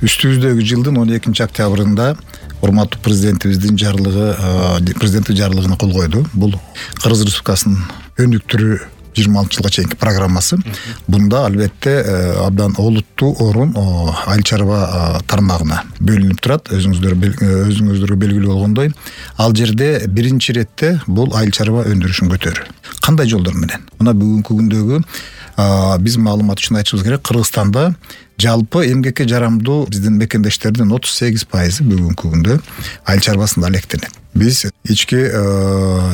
Үстүбүздөгү жылдын 12-октябрында урматтуу президентибиздин президенттик жарлыгына кол койду. Бул Кыргыз Республикасынын өнүктүрүү 26 жылга чейинки программасы. Бунда албетте абдан олуттуу орун айыл чарба тармагына бөлүнүп турат. Өзүңүздөргө белгилүү болгондой, ал жерде биринчи иретте бул айыл чарба өндүрүшүн көтөрүү. Кандай жолдор менен? Мына бүгүнкү күндөгү биз маалымат үчүн айтышыбыз керек, Кыргызстанда жалпы эмгекке жарамдуу биздин мекендештердин 38% бүгүнкү күндө айыл чарбасында алектенет. Биз ички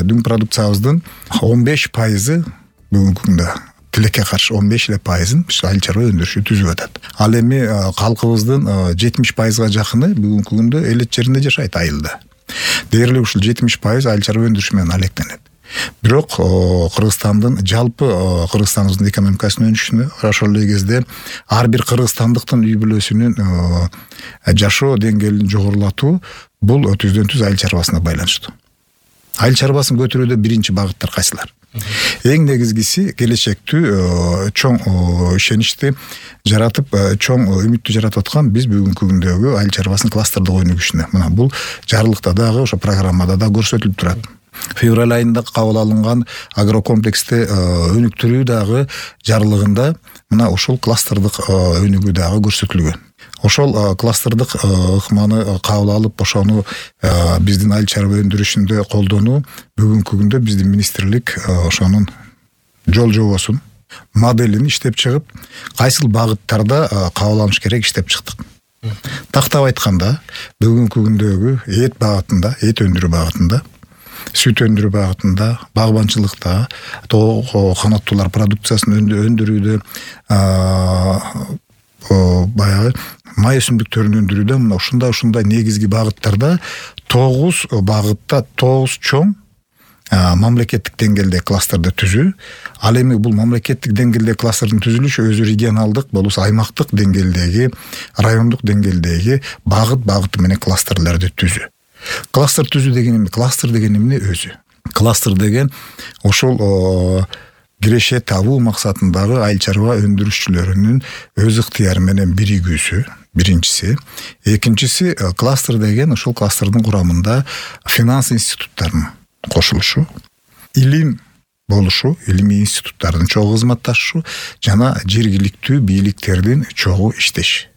дүң продукциябыздын 15% бүгүнкү күндө тилекке каршы 15% айыл чарба өндүрүшү түзүп атат. Ал эми калкыбыздын 70%га жакыны бүгүнкү күндө элет жеринде жашайт, айылда. Дээрлик ушул 70% айыл чарба өндүрүшү менен алектенет. Бирок Кыргызстандын жалпы Кыргызстандын экономикасынын өнүшүнө, ошол эле кезде ар бир кыргызстандыктын үй бүлөсүнүн жашоо деңгээлин жогорулатуу бул түздөн-түз айыл чарбасына байланыштуу. Айыл чарбасын көтөрүүдө биринчи багыттар кайсылар? Эң негизгиси келечектүү чоң ишеничти жаратып, чоң үмүттү жаратып аткан биз бүгүнкү күндөгү айыл чарбасынын кластердик өнүгүшүнө. Мына бул жарлыкта дагы, ошо программада да көрсөтүлүп турат. Февраль айында кабыл алынган агрокомплексти өнүктүрүү дагы жарлыгында мына ушул кластердик өнүгүү дагы көрсөтүлгөн. Ошол кластердик ыкманы кабыл алып, ошону биздин айыл чарба өндүрүшүндө колдонуу бүгүнкү күндө биздин министрлик ошонун жол жобосун, моделин иштеп чыгып, кайсыл багыттарда кабыл алыш керек иштеп чыктык. Тактап айтканда, бүгүнкү күндөгү эт багытында, эт өндүрүү багытында, сүт өндүрүү багытында, багбанчылыкта, канаттуулар продукциясын өндүрүүдө, баягы май өсүмдүктөрүн өндүрүүдө мына ушундай негизги багыттарда 9 багытта 9 чоң мамлекеттик деңгээлде кластерди түзүү. Ал эми бул мамлекеттик деңгээлде кластердин түзүлүшү өзү регионалдык, болбосо аймактык деңгээлдеги, райондук деңгээлдеги багыты менен кластерлерди түзүү. Кластер түзүү деген эмне? Кластер деген эмне өзү? Кластер деген ошол киреше табуу максатындагы айыл чарба өндүрүшчүлөрүнүн өз ыктыяры менен биригүүсү, биринчиси. Экинчиси, кластер деген ошол кластердин курамында финанс институттарынын кошулушу, илим болушу, илимий институттардын чогуу кызматташышы жана жергиликтүү бийликтердин чогуу иштеши.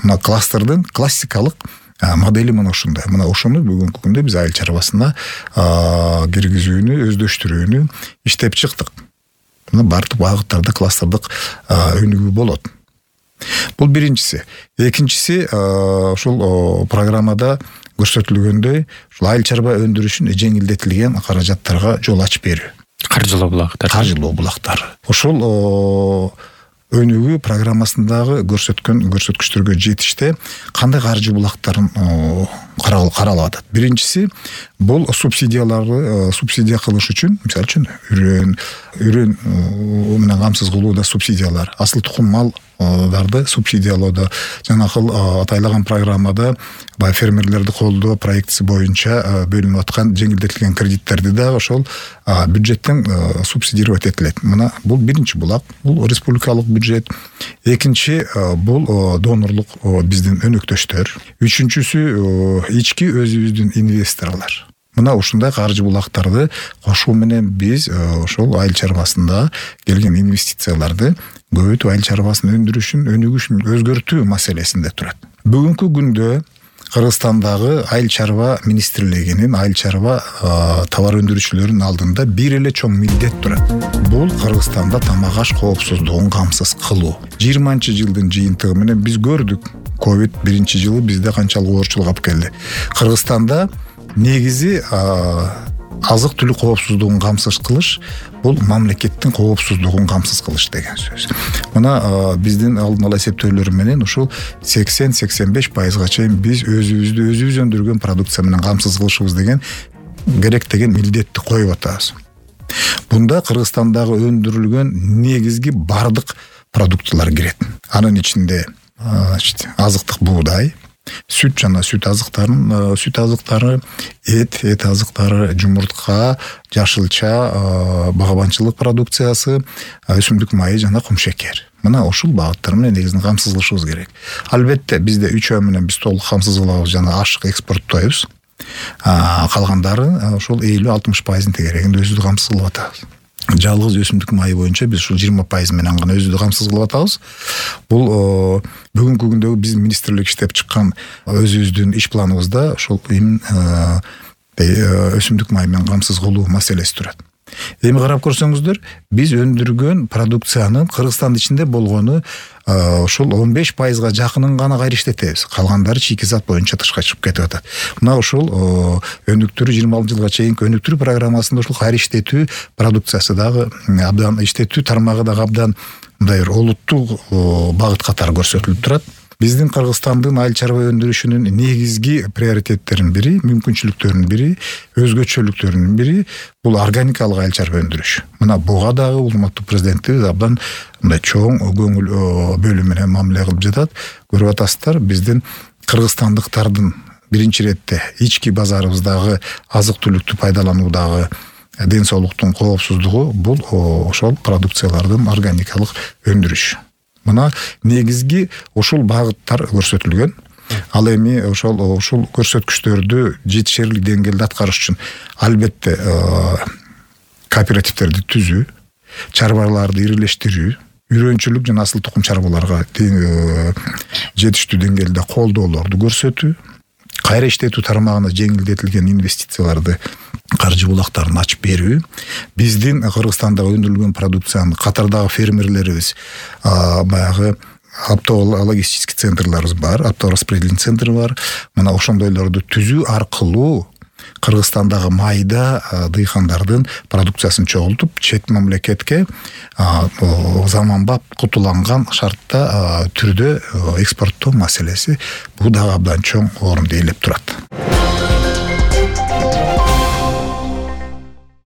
Мына кластердин классикалык модели мына ушундай. Мына ошону бүгүнкү күндө биз айыл чарбасына киргизүүнү, өздөштүрүүнү иштеп чыктык. Мына бардык багыттарда кластердик өнүгүү болот. Бул биринчиси. Экинчиси, ушул программада көрсөтүлгөндөй, ушул айыл чарба өндүрүшүн жеңилдетилген каражаттарга жол ачып берүү. Каржылоо булактар. Ошол өнүгүү программасындагы көрсөткүчтөргө жетиште кандай каржы булактарын каралып атат. Биринчиси, бул субсидия кылыш үчүн, мисалы үчүн үрөн менен камсыз кылууда субсидиялар, асыл тукум малдарды субсидиялоодо, жанакыл атайлаган программада фермерлерди колдоо проектиси боюнча бөлүнүп аткан жеңилдетилген кредиттерди дагы ошол бюджеттен субсидировать этилет. Мына бул биринчи булак, бул республикалык бюджет. Экинчи, бул донорлук биздин өнөктөштөр. Үчүнчүсү, ички өзүбүздүн инвесторлор. Мына ушундай каржы булактарды кошуу менен биз ошол айыл чарбасында келген инвестицияларды көбөйтүп айыл чарбасынын өндүрүшүн, өнүгүшүн өзгөртүү маселесинде турат. Бүгүнкү күндө Кыргызстандагы айыл чарба министрлигинин айыл чарба товар өндүрүүчүлөрүнүн алдында бир эле чоң милдет турат. Бул Кыргызстанда тамак аш коопсуздугун камсыз кылуу. 20-жылдын жыйынтыгы менен биз көрдүк. Ковид биринчи жылы бизде канчалык оорчулук алып келди. Кыргызстанда негизи азык түлүк коопсуздугун камсыз кылыш бул мамлекеттин коопсуздугун камсыз кылыш деген сөз. Мына биздин алдын ала эсептөөлөр менен ушул 80-85%га чейин биз өзүбүз өндүргөн продукция менен камсыз кылышыбыз деген керек деген милдетти коюп атабыз. Бунда Кыргызстандагы өндүрүлгөн негизги бардык продуктылар кирет. Анын ичинде азыктык буудай, сүт жана сүт азыктары, эт азыктары, жумуртка, жашылча, багабанчылык продукциясы, өсүмдүк майы жана кумшекер. Мына ушул багыттар менен негизинен камсыз кылышыбыз керек. Албетте бизде 3 ай менен биз толук камсыз кылабыз, жана ашык экспорттойбуз. Калгандары ушул 50-60% тегерегинде өзүбүздү камсыз кылып атабыз. Жалгыз өсүмдүк майы боюнча биз ушул 20% менен гана өзүбүздү камсыз кылып атабыз. Бул бүгүнкү күндөгү биздин министрлик иштеп чыккан өзүбүздүн иш планыбызда ушул өсүмдүк майы менен камсыз кылуу маселеси турат. Эми карап көрсөңүздөр, биз өндүргөн продукциянын Кыргызстандын ичинде болгону ушул 15%га жакынын гана кайра иштетебиз. Калгандары шикизат боюнча тышка чыгып кетип атат. Мына ушул өнүктүрүү 26 жылга чейинки өнүктүрүү программасында ушул кайра иштетүү продукциясы дагы абдан иштетүү тармагы дагы абдан мындай бир олуттуу багыт катары көрсөтүлүп турат. Биздин Кыргызстандын айыл чарба өндүрүшүнүн негизги приоритеттеринин бири, мүмкүнчүлүктөрүнүн бири, өзгөчөлүктөрүнүн бири бул органикалык айыл чарба өндүрүш. Мына буга дагы урматтуу президентибиз абдан мындай чоң көңүл бөлүү менен мамиле кылып жатат. Көрүп атасыздар, биздин кыргызстандыктардын биринчи иретте ички базарыбыздагы азык-түлүктү пайдалануудагы ден соолуктун коопсуздугу бул ошол продукциялардын органикалык өндүрүш. Мына негизги ушул багыттар көрсөтүлгөн. Ал эми ушул көрсөткүчтөрдү жетишерлик деңгээлде аткарыш үчүн албетте кооперативдерди түзүү, чарбаларды ирилештирүү, үйрөнчүлүк жана асыл тукум чарбаларга жетиштүү деңгээлде колдоолорду көрсөтүү, кайра иштетүү тармагына жеңилдетилген инвестицияларды каржы булактарын ачып берүү, биздин Кыргызстандагы өндүрүлгөн продукциянын катардагы фермерлерибиз баягы оптологистический центрларыбыз бар, оптораспределительный центр бар. Мына ошондойлорду түзүү аркылуу Кыргызстандагы майда дыйкандардын продукциясын чогултуп, чет мамлекетке заманбап кутуланган шартта түрдө экспорттоо маселеси бул дагы абдан чоң орунду ээлеп турат.